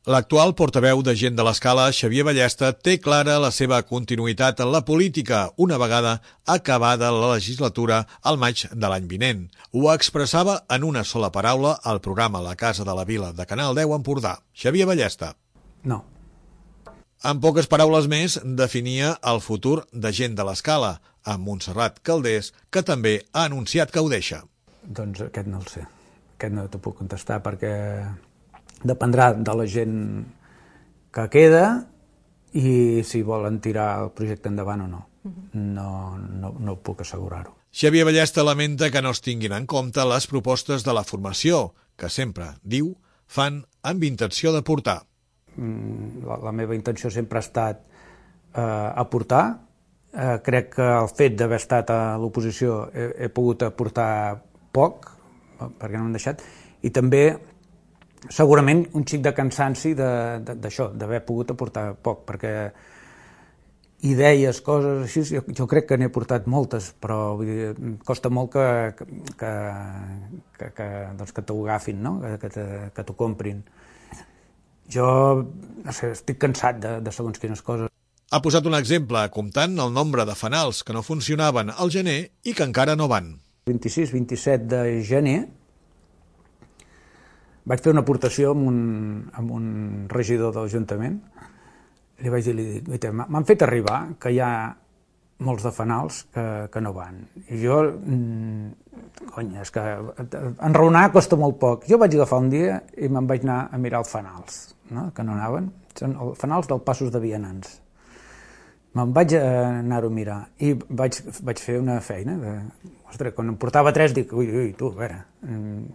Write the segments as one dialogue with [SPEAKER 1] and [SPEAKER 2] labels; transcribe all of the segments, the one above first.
[SPEAKER 1] L'actual portaveu de Gent de l'Escala, Xavier Ballesta, té clara la seva continuïtat en la política una vegada acabada la legislatura al maig de l'any vinent. Ho expressava en una sola paraula al programa La Casa de la Vila de Canal 10 Empordà. Xavier Ballesta.
[SPEAKER 2] No.
[SPEAKER 1] En poques paraules més, definia el futur de Gent de l'Escala, amb Montserrat Calders, que també ha anunciat que ho deixa.
[SPEAKER 2] Doncs aquest no el sé. Aquest no t'ho puc contestar perquè dependrà de la gent que queda i si volen tirar el projecte endavant o no. No puc assegurar-ho.
[SPEAKER 1] Xavier Ballesta lamenta que no es tinguin en compte les propostes de la formació, que sempre, diu, fan amb intenció d'aportar.
[SPEAKER 2] La meva intenció sempre ha estat aportar. Crec que el fet d'haver estat a l'oposició he pogut aportar poc, perquè no m'han deixat, i també segurament un xic de cansanci d'això, d'haver pogut aportar poc, perquè idees, coses així, jo crec que n'he aportat moltes, però vull dir, costa molt que t'ho agafin, no? Que t'ho comprin. Jo, no sé, estic cansat de segons quines coses.
[SPEAKER 1] Ha posat un exemple comptant el nombre de fanals que no funcionaven al gener i que encara no van.
[SPEAKER 2] 26-27 de gener vaig fer una aportació amb un regidor de l'Ajuntament. Li vaig dir, m'han fet arribar que hi ha molts de fanals que no van. I jo, és que enraonar costa molt poc. Jo vaig agafar un dia i me'n vaig anar a mirar els fanals, no? Que no anaven. Són els fanals dels passos de vianants. Me'n vaig anar-ho a mirar i vaig fer una feina. Ostres, quan em portava 3 dic, ui, tu, a veure,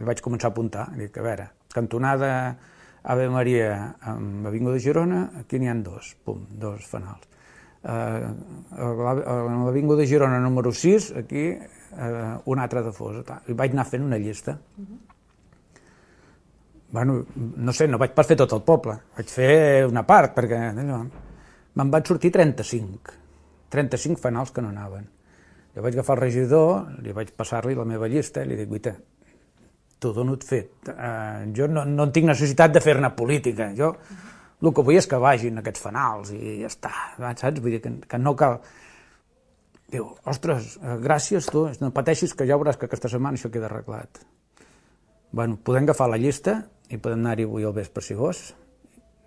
[SPEAKER 2] vaig començar a apuntar, dic, a veure, cantonada Ave Maria amb Avinguda de Girona, aquí n'hi ha 2, pum, 2 fanals. A l'Avinguda de Girona número 6, aquí un altre de Fosa. I vaig anar fent una llista. Bueno, no sé, no vaig pas fer tot el poble, vaig fer una part, perquè me'n van sortir 35 fanals que no anaven. Jo vaig agafar el regidor, li vaig passar-li la meva llista i li dic, guaita, t'ho dono fet. Jo no tinc necessitat de fer-ne política. Jo el que vull és que vagin aquests fanals i ja està, saps? Vull dir que no cal... Diu, ostres, gràcies tu, no pateixis que ja veuràs que aquesta setmana això queda arreglat. Bueno, podem agafar la llista i podem anar-hi avui al vespre si vols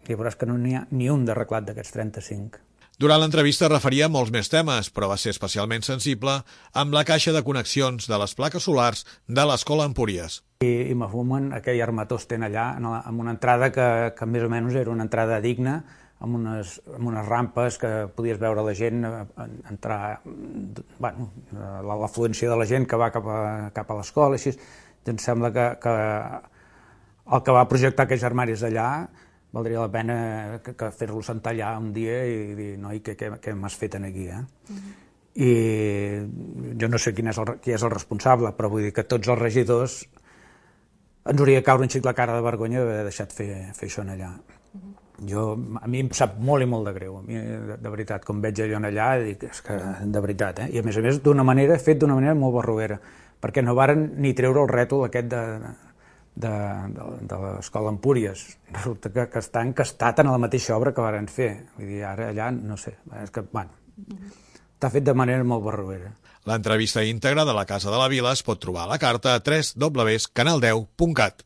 [SPEAKER 2] i veuràs que no n'hi ha ni un d'arreglat d'aquests 35.
[SPEAKER 1] Durant l'entrevista referia molts més temes, però va ser especialment sensible amb la caixa de connexions de les plaques solars de l'Escola Empúries.
[SPEAKER 2] I me fumen aquell armatosten allà, amb una entrada que més o menys era una entrada digna, amb unes rampes que podies veure la gent entrar, bueno, l'afluència de la gent que va cap a l'escola, així. Em sembla que el que va projectar aquells armaris allà valdria la pena que fer-lo sentar allà un dia i dir, noi, què m'has fet aquí, I jo no sé qui és el responsable, però vull dir que tots els regidors ens hauria de caure un xic la cara de vergonya d'haver deixat fer això allà. A mi em sap molt i molt de greu. A mi, de veritat, com veig allò allà, dic, és que de veritat, I a més fet d'una manera molt barroera, perquè no varen ni treure el rètol aquest de l'Escola Empúries. Resulta que està encastat en la mateixa obra que varen fer. Vull dir, ara allà, no sé, és que, bueno, està fet de manera molt barroera.
[SPEAKER 1] L'entrevista íntegra de La Casa de la Vila es pot trobar a la carta a www.canal10.cat.